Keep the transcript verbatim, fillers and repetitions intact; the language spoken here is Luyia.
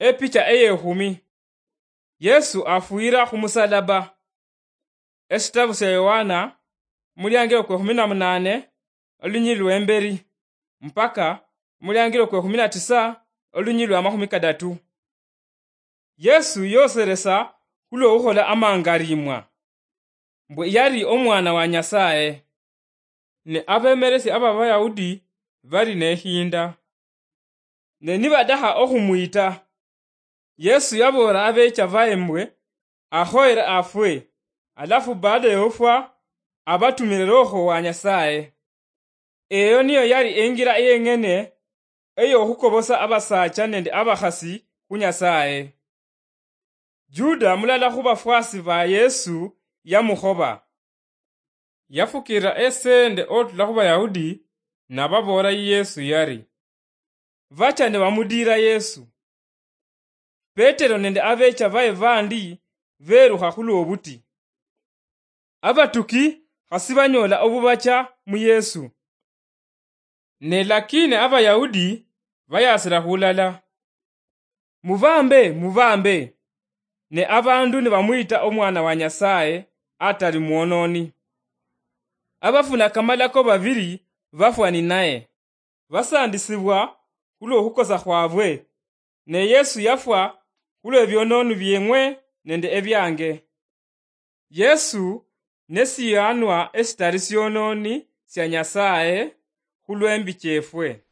Epicha eyekhumi. Yesu afwira khumusalaba. Esitabu sia Yohana, muliangilo kwe khumi na munane, olunyili lwemberi, mpaka muliangilo kwe khumi na tisa, olunyili lwa makhumi kadatu. Yesu yoseresa khulwo khukhola amangarimwa, mbwe yali omwana wa Nyasaye. Ne abemeresi aba Bayahudi bali nehinda. Ne nibadaha okhumwita, Yesu yaboolera abecha baye mbwe akhoyere afwe, alafu baada yofwa, abatumire Roho wa Nyasaye. Eyo niyo yali engira yeng'ene eyokhukobosa abasacha nende abakhasi khu Nyasaye. Juda, mulala khu bafwasi ba Yesu, yamukhoba. Yafukira esende otula khu Bayahudi, nababoolera Yesu yari, bacha nibamudiira Yesu. Petero nende abecha baye bandi berukha khulwobuti. Abatuki khasi banyola obubacha mu Yesu. Ne lakini Abayahudi bayasira khulala, "Mubambe, mubambe!" Ne abandu nibamwita omwana wa Nyasaye atali mwononi. Abafuna kamalako babiri bafwa ninaye, basandisibwa khulwokhukosa khwabwe, ne Yesu yafwa khulwebiononi bieng'we nende ebiange. Yesu nesiyanwa esitali siononi sia Nyasaye khulwembi chiefwe.